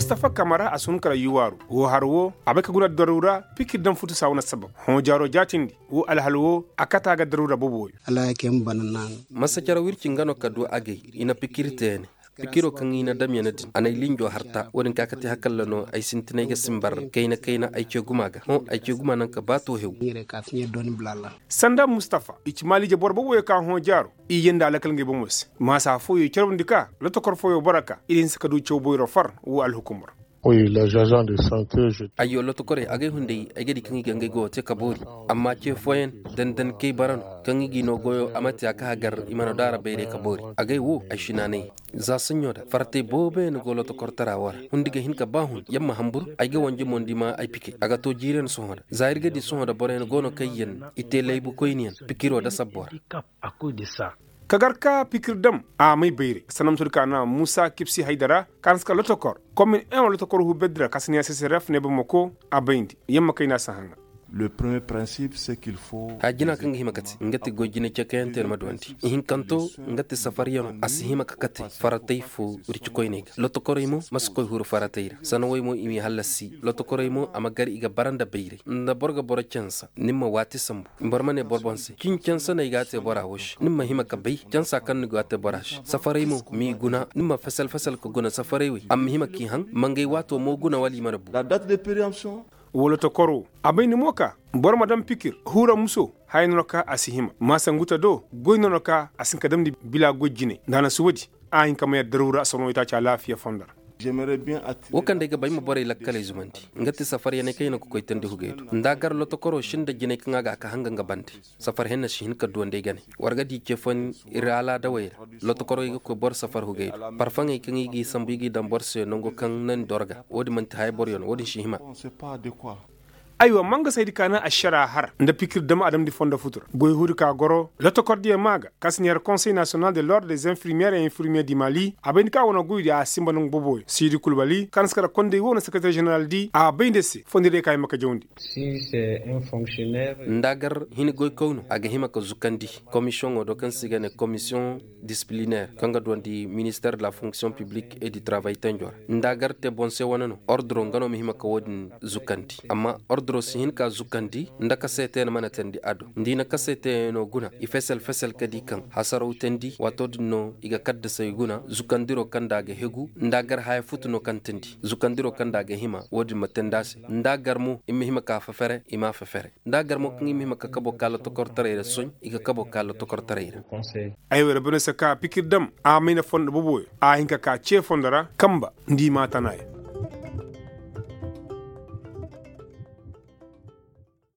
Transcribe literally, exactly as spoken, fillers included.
Tafa kamara a si hun kala yuwaaru woo har woo a bay ka guna daruura pikir daŋ futu saa wane sabab hõ jaaroo jaatindi woo alhal woo a kata ga daruura bobo woo. Masa cere wirci nga no ka du agay i na pikir te ya ne. Pikiroo kaŋ i na dam ya ne din a n'ay linjoo harta woo din ka kate hakalla no ay sintinay ga simbar kayna kayna ay cee gumaa ga hõ ay cee gumaa naŋ ka baa too hew. Sanda mustafa i ci maaliije boro boboyo ka hõ jaaro i yee nda alakal ngey bomo se maasa fooyo i carwandi ka lotokor fooyo boro ka i di hinsa ka du caw boyro far woo alhukumar. Ayyo lotokorey agay hunday ay ga di kaŋ i ga ngey goyo te ka boori. Amma ce fooyaŋ dandankey bara no kaŋ i g'i noo goyo a ma te a ka hagar i mana daara bayray ka boori. Agay woo ay si naanay za saɲɲo da faratey booboyaŋ go lotokortara woo ra hundi ga hin ka ba hun yamma hanbur ay ga wanje mo nda i ma ay pikey a ga too jiiriyaŋ sohõ da za ir ga di sohõ da boroyaŋ go no kaŋ yaŋ i te laybu koyniyaŋ pikiroo da sabboo ra. Ka gar ka pikir dam a may bayray sanamtudi ka na muusa kibsi haydara ka na si ka lotokor komin en wa lotokor huu beddi ra ka si niya ccrf ne bamako a bayndi yamma kayna si haŋa. Haya jina kaŋ ga hima kate nga ti goy jinay cekayaŋ te ni ma duwandi ihinkanto nga ti safaryaŋo a si hima ka kate faratay fo wircikoyney ga lotokorey mo ma si koy huru faratay ra sanawey mo i m'i hallasi lotokorey mo a ma gar i ga bara nda bayray nda boro ga boro cansa ni ma waati sambu boro ma ne boro boŋ se cin cansa no ay ga a te bora wo se ni ma hima ka bay cansa kaŋ ni go a te bora se safarey mo m'i guna ni ma fesel fesel ka guna safarey wey a ma hima k'i haŋ ma ngey waato mo guna wala i mana bu. Wala tokoro a bay ni mo ka boro ma daŋ pikir hura muso haya no no ka a si hima maasa nguta do goy no no ka a si hin ka damndi bila goy jinay nda a na si woodi a hin ka may addaruura a soroŋo itaaci alaafiya fondo ra. Wo kaŋ day ga ba ay ma borey lakkaley zumandi nga ti safaryaney kaŋ i na ga koy tandi hugey do nda a gar lotokoroo sinda jinay kaŋ a ga a ka hanga nga bande. Safar henna si hin ka duwandi ay gane war ga di cefan ir alaadawey ra lotokoroo i ga koy boro safar hugey do parfaŋey kaŋ i g'i sambu i g'i daŋ boro se nango kaŋ na ni dorga wo-din man'ti haya boroyo no wo-din si hima. Aywa mangasaydi ka na ašara har nda pikir dam adamdi fondo futu ra goy huudi ka goro lotokordiyaŋ maa ga kaŋ si neera konsey nasiyonal de lord des infirmiyeer et infirmiyeer di mali a bay nda ka wane goydi a sinba nangu boboyo siidi kulbali kaŋ na si kala kondey woo na sekereteer ženeral di a bay nda se fondo day ka hima ka jawndi. Nda a gar hini goykoyno a ga hima ka zukandi komisiyoŋo do kaŋ se i ga ne komisiyoŋ disiplineer kaŋ ga duwandi ministeer de la fonksiyoŋ piblik e di travay tenjo ra nda a gar te boŋ se wane no orduro nga no ma hima ka wo-din zukandi amma orduro si hin ka zukandi nda kaseetey no mana teendi a do nda i na kaseetey no guna i fesel fesel ka di kaŋ hasaraw teendi waato din no i ga kaddasey guna zukandiro kaŋ nda a ga hegu nda a gar haya futu no kaŋ teendi zukandiro kaŋ nda a ga hima wo-din ma teendi a se nda a gar mo i ma hima ka fefere i m'a fefere nda a gar mo kaŋ i ma hima ka kabo ka lotokortaray ra soy i ga kabo ka lotokortaray ra. Ay wo ra bane se ka pikir dam a may na fondo boboyo a hin ka ka ce fondo ra kamba nda i ma a tana ya.